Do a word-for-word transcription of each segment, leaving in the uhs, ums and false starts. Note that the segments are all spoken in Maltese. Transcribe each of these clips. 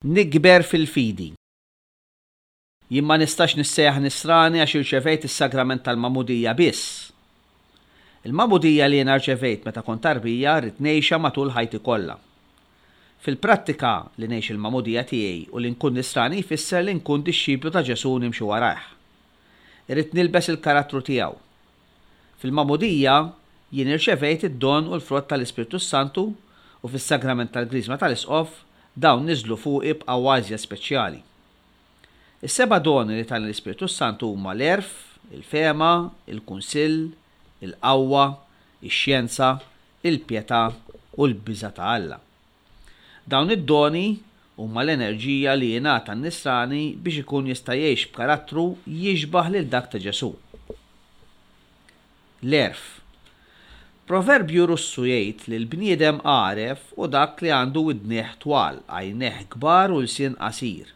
Nikber fil-fidi. Jien ma nistax nissejjaħ nisrani għax irċevejt is-sagrament tal-magħmudija biss. Il-magħmudija li jiena rċevejt meta kont tarbija rrid ngħixha matul ħajti kollha. Fil-prattika, li ngħix il-magħmudija tiegħi u li nkun nisrani jfisser li nkun dixxiplu ta' Ġesù nimxi warajh. Irrid nilbes il-karattru tiegħu. Fil-magħmudija jien irċevejt id-don u l-frott tal-Ispirtu Santu u fis-sagrament tal-Griżma tal-Isqof dawn niżlu fuqi b'qawwa iżjed speċjali. Is-seba' doni li tani l-Ispirtu Santu huma l-għerf, il-fehma, il-kunsill, il-qawwa, ix-xjenza, il-pjetà u l-biża' ta' Alla. Dawn id-doni huma l-enerġija li jingħata n-nisrani biex ikun jista' jgħix b'karattru jixbah lil dak ta' Ġesù. L-għerf. Proverbju Russu jgħid li l-bniedem għaref hu dak li għandu widnejh twal, għajnejh kbar u lsien qasir.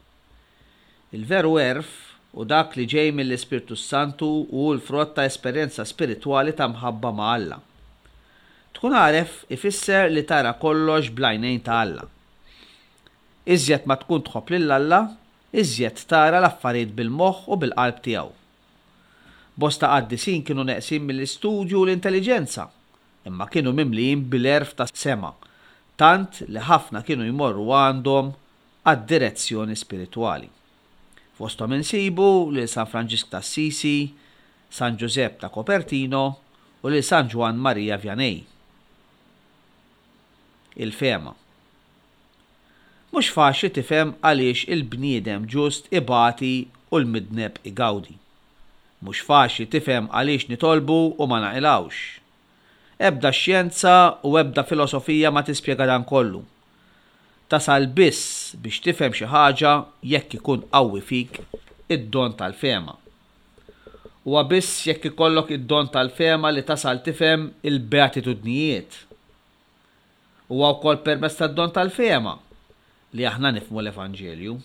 Il-veru għerf hu dak li ġej mill-Ispirtu Santu u hu l-frott ta' esperjenza spiritwali ta' mħabba ma' Alla. Tkun għaref ifisser li tara kollox bl-għajnejn ta' Alla. Iżjed ma tkun tħobb lil Alla, iżjed tara l-affarijiet bil-moħħ u bil-qalb tiegħu. Bosta qaddisin kienu neqsin mill-istudju u l-intelliġenza, imma kienu mimlijin bil-għerf tas-sema, tant li ħafna kienu jmorru għandhom għad-direzzjoni spiritwali. Fosthom insibu lil San Franġisk t'Assisi, San Ġużepp ta' Copertino u lil San Ġwann Maria Vianney. Il-fehma. Mhux faċli tifhem għaliex il-bniedem ġust ibati u l-midneb igawdi. Mhux faċli tifhem għaliex nitolbu u ma naqilgħux. Ebda xjenza u ebda filosofija ma tispjega dan kollu. Tasal biss biex tifhem xi ħaġa jekk ikun qawwi fik id-don tal-fehma. Huwa biss jekk ikollok id-don tal-fehma li tasal tifhem il-beatitudnijiet. Huwa wkoll permezz tad-don tal-fehma li aħna nifhmu l-Evanġelju.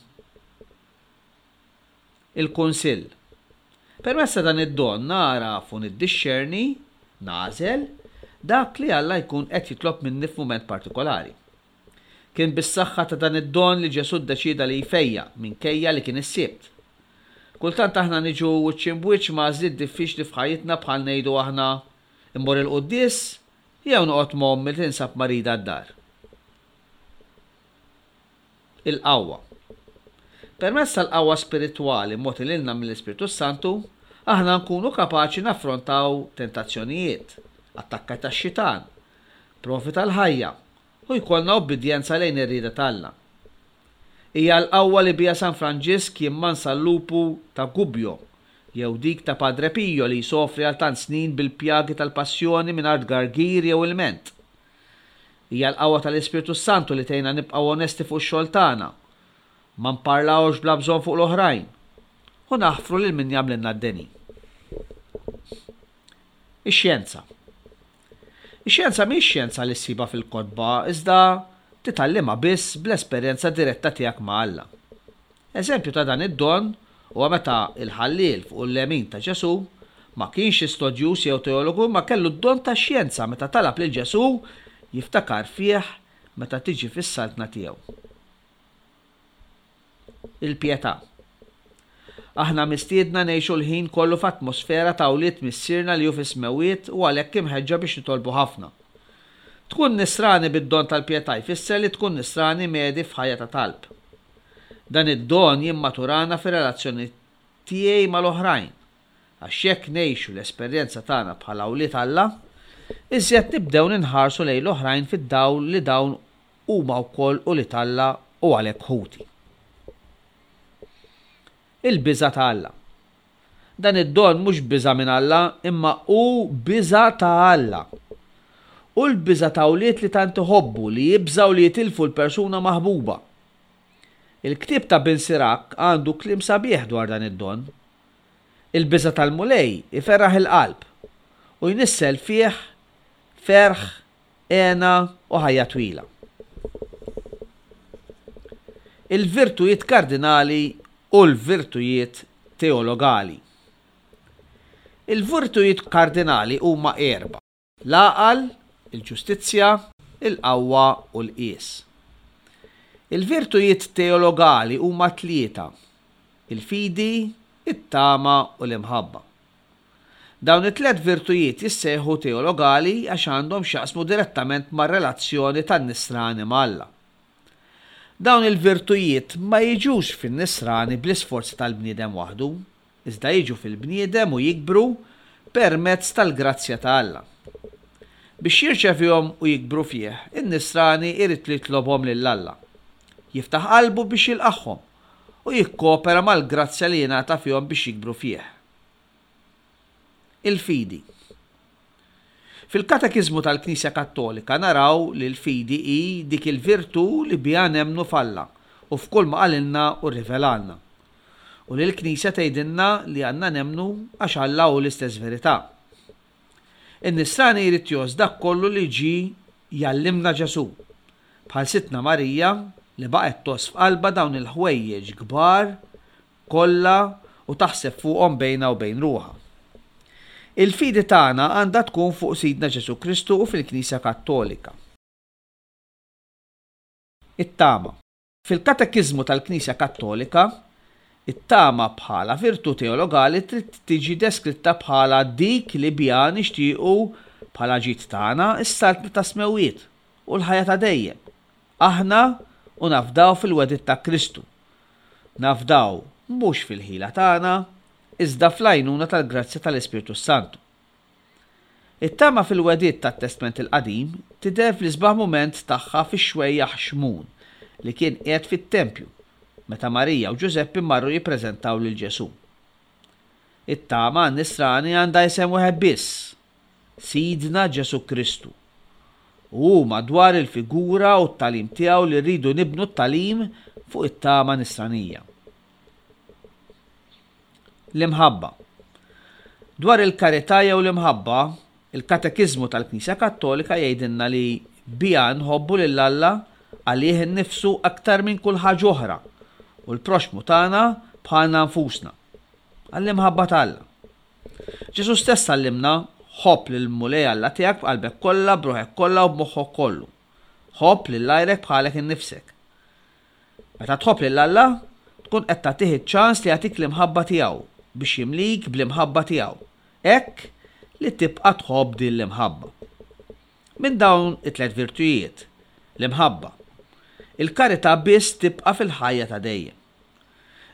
Il-Kunsill. Permezz ta' dan id-don nagħraf u niddixxerni, nagħżel, dak li Alla jkun qed jitlob minni f'mument partikolari. Kien bis-saħħa ta' dan id-don li Ġesù ddeċieda li jfejjaq minkejja li kien is-Sibt. Kultant aħna niġu wiċċ imbwiċċ ma' għażliet diffiċli f'ħajjitna bħal ngħidu aħna immur il-quddies jew noqgħod ma' ommi li tinsab marida d-dar. Il-qawwa. Permezz tal-qawwa spiritwali mogħti lilna mill-Ispirtu Santu, aħna nkunu kapaċi naffrontaw tentazzjonijiet, attakki tax-xitan, provi tal-ħajja u jkollna obbedjenza lejn ir-rieda t'Alla. Hija l-qawwa li biha San Franġisk jimmansa l-lupu ta' Gubbio jew dik ta' Padre Pio li jsofri għal tant snin bil-pjagi tal-passjoni mingħajr tgargir jew ilment. Hija l-qawwa tal-Ispirtu Santu li tgħinna nibqgħu onesti fuq ix-xogħol tagħna, ma nparlawx bla bżonn fuq l-oħrajn u naħfru lil min jagħmlilna d-deni. Ix-xjenza. Ix-xjenza mhix xjenza li ssibha fil-kotba, iżda titgħallimha biss bl-esperjenza diretta tiegħek ma' Alla. Eżempju ta' dan id-don huwa meta il-ħalliel fuq il-lemin ta' Ġesù ma kienx istudjuż jew teologu ma kellu d-don ta' xjenza meta talab lil Ġesù jiftakar fih meta tiġi fis-saltna tiegħu. Il-pjetà. Aħna mistiedna ngħixu l-ħin kollu f'atmosfera ta' wlied Missierna li hu fis-smewwiet u għalhekk imħeġġa biex nitolbu ħafna. Tkun nisrani bid-don tal-pjetà jfisser li tkun nisrani medhi f'ħajja ta' talb. Dan id-don jimmaturana fir-relazzjoni tiegħi mal-oħrajn, għax jekk ngħixu l-esperjenza tagħna bħala wlied Alla, iżjed nibdew ninħarsu lejn l-oħrajn fid-dawl li dawn huma wkoll ulied Alla u għalhekk ħuti. Il-biża' ta' Alla. Dan id-don mhux biża' minn Alla, imma hu biża' ta' Alla. U l-biża' ta' wlied li tant iħobbu li jibżgħu li jitilfu l-persuna maħbuba. Il-ktieb ta' Bin Sirak għandu kliem sabiħ dwar dan id-don. Il-biża' tal-Mulej iferraħ il-qalb u jnissel fih ferħ, hena u ħajja twila. Il-virtujiet kardinali u l-virtujiet teologali. Il-virtujiet kardinali huma erba': l-għaqal, il-ġustizzja, il-qawwa u l-qies. Il-virtujiet teologali huma tlieta: il-fidi, it-tama u l-imħabba. Dawn it-tliet virtujiet jissejħu teologali għax għandhom x'jaqsmu direttament mar-relazzjoni tan-nisrani ma' Alla. Dawn il-virtujiet ma jiġux fin-nisrani bl-isforzi tal-bniedem waħdu, iżda jiġu fil-bniedem u jikbru permezz tal-grazzja ta' Alla. Biex jirċevihom u jikbru fih, in-nisrani irid li jitlobhom lil Alla. Jiftaħ qalbu biex jilqagħhom u jikkopera mal-grazzja li jingħata fihom biex jikbru fih. Il-fidi. Fil-Katekiżmu tal-Knisja Kattolika naraw li l-fidi hi dik il-virtù li biha nemmnu f'Alla u f'kull ma qalilna u rrivelalna. U li l-Knisja tgħidilna li għandna nemmnu għax Alla hu l-istess verità. In-nisrani jrid jgħożż dak kollu li ġie jgħallimna Ġesù, bħal Sidtna Marija li baqgħet tgħożż f'qalbha dawn il-ħwejjeġ kbar kollha u taħseb fuqhom bejnha u bejn ruħha. Il-fidi tagħna għandha tkun fuq Sidna Ġesù Kristu u fil-Knisja Kattolika. It-tama. Fil-Katekiżmu tal-Knisja Kattolika, it-tama bħala virtù teologali trid tiġi deskritta bħala dik li biha nixtiequ bħala ġid tagħna s-saltna tas-smewwiet u l-ħajja ta' dejjem. Aħna u nafdaw fil-wegħdiet ta' Kristu. Nafdaw mhux fil-ħila tagħna, iżda fl-għajnuna tal-grazzja tal-Ispirtu Santu. It-tama fil-wegħdiet tat-Testment il-Qadim tidher fl-isbaħ mument tagħha fix-xwejjaħ Xmun li kien qiegħed fit-tempju meta Marija u Ġużeppi marru jippreżentaw lil Ġesù. It-tama għan-nisrani għandha isem wieħed biss, Sidna Ġesù Kristu. U hu madwar il-figura u t-tagħlim tiegħu li rridu nibnu t-tagħlim fuq it-tama nisranija. L-imħabba. Dwar il-karità jew l-imħabba, il-Katekiżmu tal-Knisja Kattolika jgħidilna li biha nħobbu lil Alla għalih innifsu aktar minn kull ħaġa oħra u l-proxxmu tagħna bħalna nfusna. Għall-imħabba ta' Alla. Ġesù stess għallimna ħobb lill-Mulej Alla tiegħek b'qalbek kollha, b'ruħek kollha u b'moħħok kollu. Ħobb lil għajrek bħalek innifsek. Meta tħobb lil Alla, tkun qed tagħtih iċ-ċans li jagħtik l-imħabba tiegħu biex jimlik bl-imħabba tiegħu. Hekk li tibqa' tħobb din l-imħabba. Minn dawn it-tliet virtujiet, l-imħabba, il-karità biss tibqa' fil-ħajja ta' dejjem.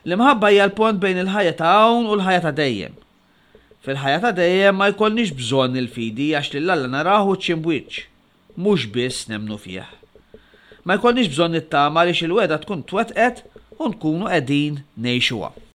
L-imħabba hija l-pont bejn il-ħajja ta' hawn u l-ħajja ta' dejjem. Fil-ħajja ta' dejjem ma jkollniex bżonn il-fidi għax lil Alla narahu wiċċ imb'wiċċ, mhux biss nemmnu fih. Ma jkollniex bżonn it-tama għaliex il-wegħda tkun twettqet u nkunu qegħdin ngħixuha.